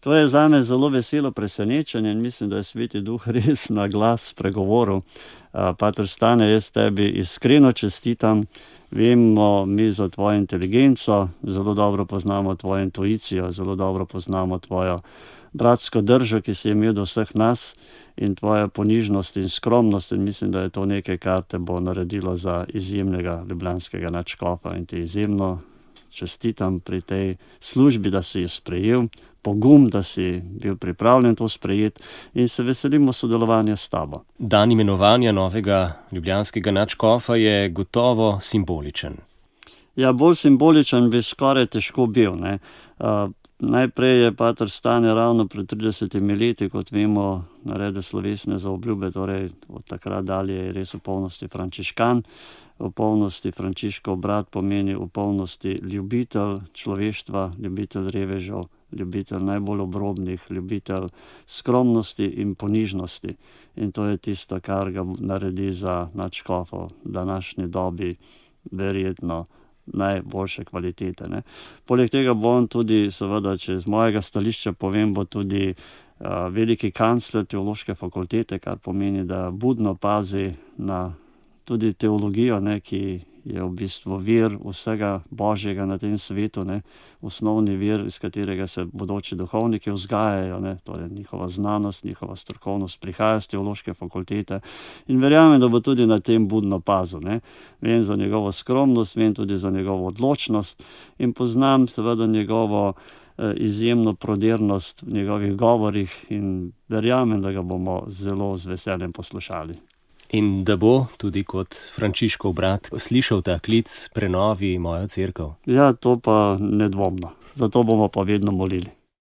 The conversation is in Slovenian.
To je zame zelo veselo presenečenje in mislim, da je Sveti Duh res na glas spregovoril. Pater Stane, jaz tebi iskreno čestitam. Vemo mi za tvojo inteligenco, zelo dobro poznamo tvojo intuicijo, zelo dobro poznamo tvojo bratsko držo, ki si imel do vseh nas, in tvoja ponižnost in skromnost, in mislim, da je to nekaj, kar te bo naredilo za izjemnega ljubljanskega nadškofa, in ti izjemno čestitam pri tej službi, da si jo sprejel, pogum, da si bil pripravljen to sprejeti, in se veselimo sodelovanja s tabo. Dan imenovanja novega ljubljanskega nadškofa je gotovo simboličen. Ja, bolj simboličen bi skoraj težko bil, ne. Najprej je pater Stane ravno pred 30 leti, kot vemo, naredil slovesne zaobljube, torej od takrat dalje je res v polnosti frančiškan. V polnosti Frančiškov brat pomeni v polnosti ljubitelj človeštva, ljubitelj revežev, ljubitelj najbolj obrobnih, ljubitelj skromnosti in ponižnosti. In to je tisto, kar ga naredi za nadškofa v današnji dobi verjetno najboljše kvalitete, ne. Poleg tega bo on tudi, seveda, če z mojega stališča povem, bo tudi veliki kancler teološke fakultete, kar pomeni, da budno pazi na tudi teologijo, ne, ki je v bistvu vir vsega božjega na tem svetu, ne, osnovni vir, iz katerega se bodoči duhovniki vzgajajo, ne, torej njihova znanost, njihova strokovnost prihaja z teološke fakultete, in verjamem, da bo tudi na tem budno pazil, ne. Vem za njegovo skromnost, vem tudi za njegovo odločnost in poznam seveda njegovo izjemno prodernost v njegovih govorih in verjamem, da ga bomo zelo z veseljem poslušali. In da bo tudi kot Frančiškov brat slišal ta klic: prenovi mojo cerkev. Ja, to pa nedvomno. Zato bomo pa vedno molili.